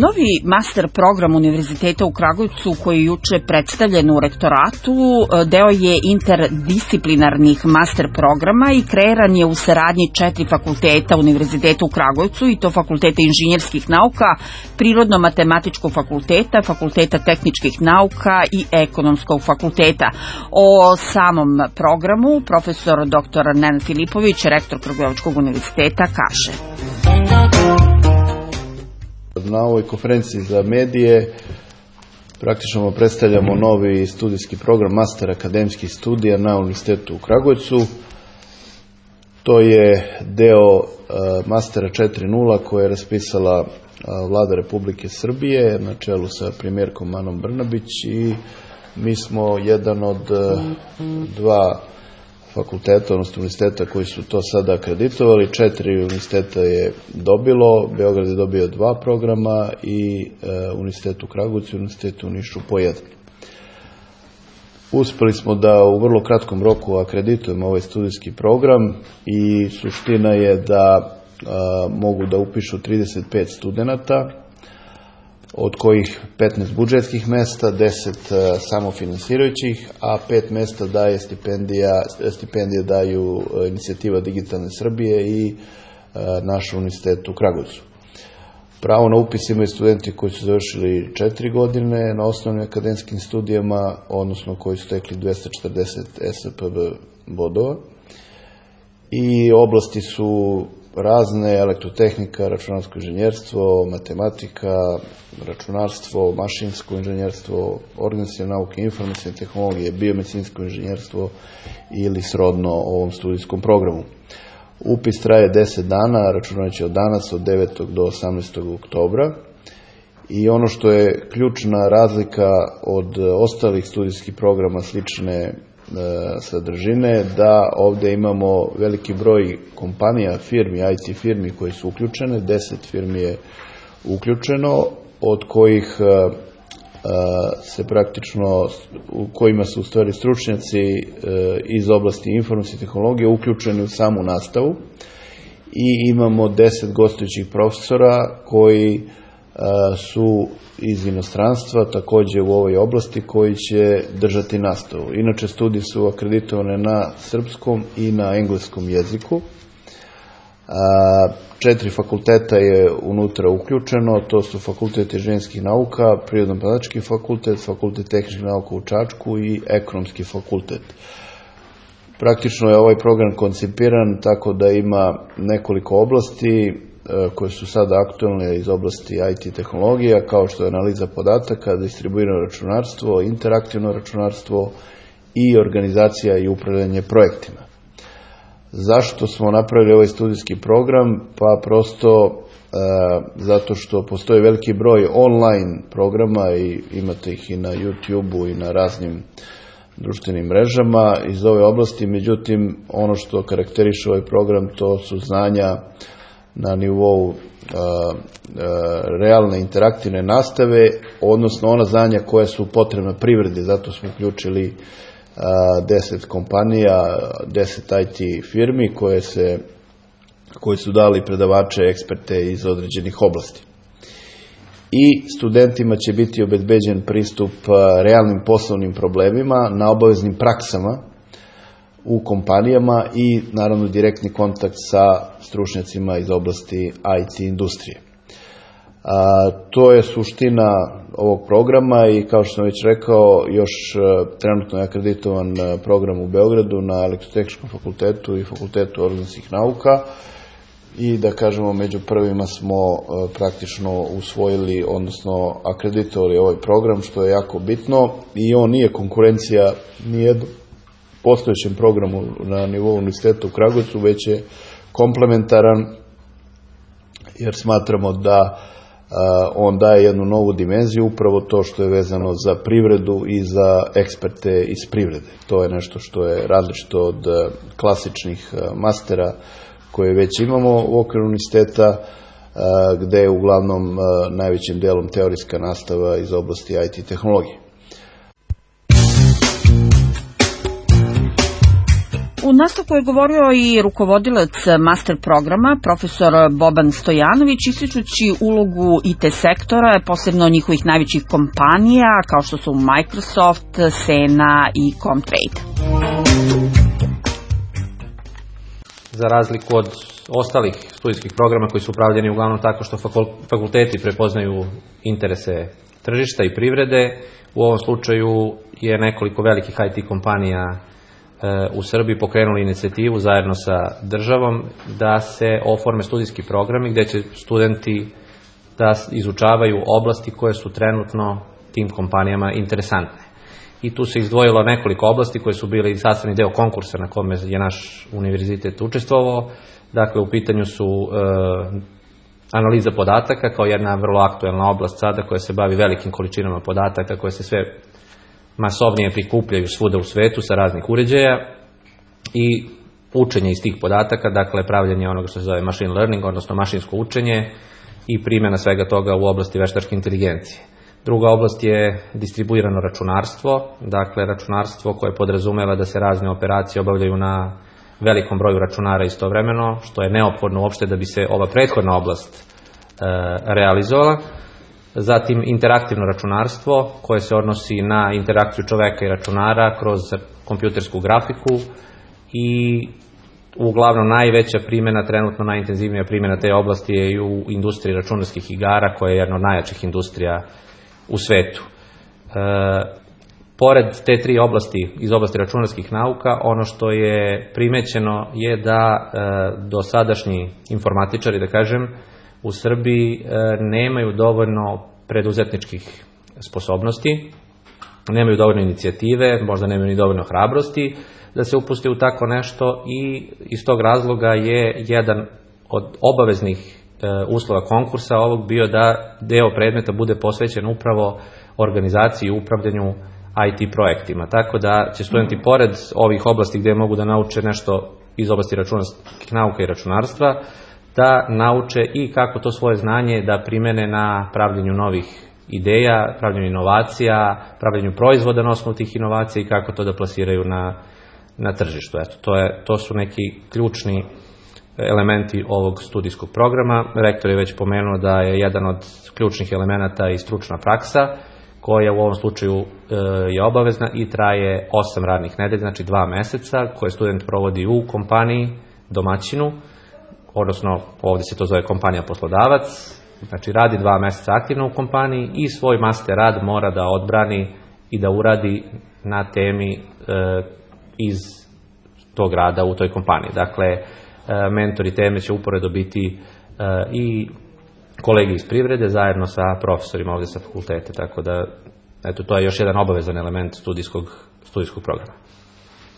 Novi master program Univerziteta u Kragujevcu koji je juče predstavljen u rektoratu deo je interdisciplinarnih master programa i kreiran je u saradnji 4 fakulteta Univerziteta u Kragujevcu i to Fakulteta inženjerskih nauka, Prirodno-matematičkog fakulteta, Fakulteta tehničkih nauka i Ekonomskog fakulteta. O samom programu profesor dr. Nenad Filipović, rektor Kragujevačkog univerziteta, kaže: Na ovoj konferenciji za medije praktično predstavljamo novi studijski program Master akademskih studija na Univerzitetu u Kragujevcu. To je deo Mastera 4.0 koje je raspisala Vlada Republike Srbije na čelu sa premijerkom Anom Brnabić i mi smo jedan od dva fakulteta, odnosno univerziteta koji su to sada akreditovali. 4 univerziteta je dobilo, Beograd je dobio 2 programa i Univerzitet u Kragujevcu i Univerzitet u Nišu po 1. Uspeli smo da u vrlo kratkom roku akreditujemo ovaj studijski program i suština je da mogu da upišu 35 studenata, od kojih 15 budžetskih mesta, 10 samofinansirajućih, a 5 mesta daje stipendije daju inicijativa Digitalne Srbije i naš univerzitet u Kragujevcu. Pravo na upis imaju studenti koji su završili 4 godine na osnovnim akademskim studijama, odnosno koji su stekli 240 SPB bodova. I oblasti su razne: elektrotehnika, računarsko inženjerstvo, matematika, računarstvo, mašinsko inženjerstvo, organizacione nauke, informacione tehnologije, biomedicinsko inženjerstvo ili srodno ovom studijskom programu. Upis traje 10 dana, računajući od danas, od 9. do 18. oktobra. I ono što je ključna razlika od ostalih studijskih programa slične sadržine, da ovdje imamo veliki broj kompanija, firmi, IT firmi koji su uključene, 10 firmi je uključeno, od kojih se praktično, u kojima su u stvari stručnjaci iz oblasti informacijske tehnologije uključeni u samu nastavu, i imamo 10 gostujućih profesora koji su iz inostranstva, također u ovoj oblasti, koji će držati nastavu. Inače, studije su akreditovane na srpskom i na engleskom jeziku. 4 fakulteta je unutra uključeno, to su Fakultet inženjerskih nauka, Prirodno-matematički fakultet, Fakultet tehničkih nauka u Čačku i Ekonomski fakultet. Praktično je ovaj program koncipiran tako da ima nekoliko oblasti koje su sada aktualne iz oblasti IT tehnologija, kao što je analiza podataka, distribuirano računarstvo, interaktivno računarstvo i organizacija i upravljanje projektima. Zašto smo napravili ovaj studijski program? Pa prosto zato što postoji veliki broj online programa i imate ih i na YouTube-u i na raznim društvenim mrežama iz ove oblasti. Međutim, ono što karakteriše ovaj program, to su znanja na nivou realne interaktivne nastave, odnosno ona znanja koja su potrebna privredi. Zato smo uključili 10 kompanija, 10 IT firmi koji su dali predavače, eksperte iz određenih oblasti. I studentima će biti obezbeđen pristup realnim poslovnim problemima na obaveznim praksama u kompanijama i naravno direktni kontakt sa stručnjacima iz oblasti IT industrije. To je suština ovog programa i kao što sam već rekao, još trenutno je akreditovan program u Beogradu na Elektrotehničkom fakultetu i Fakultetu organizacijskih nauka i da kažemo među prvima smo praktično usvojili, odnosno akreditovali ovaj program, što je jako bitno, i on nije konkurencija nijednom postojećem programu na nivou Univerziteta u Kragujevcu, već je komplementaran, jer smatramo da on daje jednu novu dimenziju, upravo to što je vezano za privredu i za eksperte iz privrede. To je nešto što je različito od klasičnih mastera koje već imamo u okviru univerziteta, gde je uglavnom najvećim delom teorijska nastava iz oblasti IT tehnologije. U nastavku je govorio i rukovodilac master programa, profesor Boban Stojanović, ističući ulogu IT sektora, posebno njihovih najvećih kompanija, kao što su Microsoft, Sena i Comtrade. Za razliku od ostalih studijskih programa koji su upravljeni uglavnom tako što fakulteti prepoznaju interese tržišta i privrede, u ovom slučaju je nekoliko velikih IT kompanija u Srbiji pokrenuli inicijativu zajedno sa državom da se oforme studijski programi gde će studenti da izučavaju oblasti koje su trenutno tim kompanijama interesantne. I tu se izdvojilo nekoliko oblasti koje su bili sastavni deo konkursa na kome je naš univerzitet učestvovao. Dakle, u pitanju su analiza podataka kao jedna vrlo aktuelna oblast sada koja se bavi velikim količinama podataka koje se sve masovnije prikupljaju svuda u svetu sa raznih uređaja i učenje iz tih podataka, dakle pravljenje onoga što se zove machine learning, odnosno mašinsko učenje i primjena svega toga u oblasti veštačke inteligencije. Druga oblast je distribuirano računarstvo, dakle računarstvo koje podrazumeva da se razne operacije obavljaju na velikom broju računara istovremeno, što je neophodno uopšte da bi se ova prethodna oblast realizovala. Zatim interaktivno računarstvo koje se odnosi na interakciju čoveka i računara kroz kompjutersku grafiku i uglavnom najveća primjena, trenutno najintenzivnija primjena te oblasti je i u industriji računarskih igara koja je jedna od najjačih industrija u svetu. Pored te tri oblasti iz oblasti računarskih nauka, ono što je primećeno je da dosadašnji informatičari, da kažem, u Srbiji nemaju dovoljno preduzetničkih sposobnosti, nemaju dovoljno inicijative, možda nemaju ni dovoljno hrabrosti da se upuste u tako nešto i iz tog razloga je jedan od obaveznih uslova konkursa ovog bio da deo predmeta bude posvećen upravo organizaciji i upravljanju IT projektima. Tako da će studenti pored ovih oblasti gde mogu da nauče nešto iz oblasti računarskih nauka i računarstva, da nauče i kako to svoje znanje da primene na pravljenju novih ideja, pravljenju inovacija, pravljenju proizvoda na osnovu tih inovacija i kako to da plasiraju na tržištu. Eto, to su neki ključni elementi ovog studijskog programa. Rektor je već pomenuo da je jedan od ključnih elemenata i stručna praksa, koja u ovom slučaju je obavezna i traje 8 radnih nedelja, znači 2 meseca, koje student provodi u kompaniji, domaćinu, odnosno ovdje se to zove kompanija poslodavac, znači radi 2 meseca aktivno u kompaniji i svoj master rad mora da odbrani i da uradi na temi iz tog rada u toj kompaniji. Dakle, mentori teme će uporedo biti i kolegi iz privrede zajedno sa profesorima ovdje sa fakultete, tako da eto, to je još jedan obavezan element studijskog programa.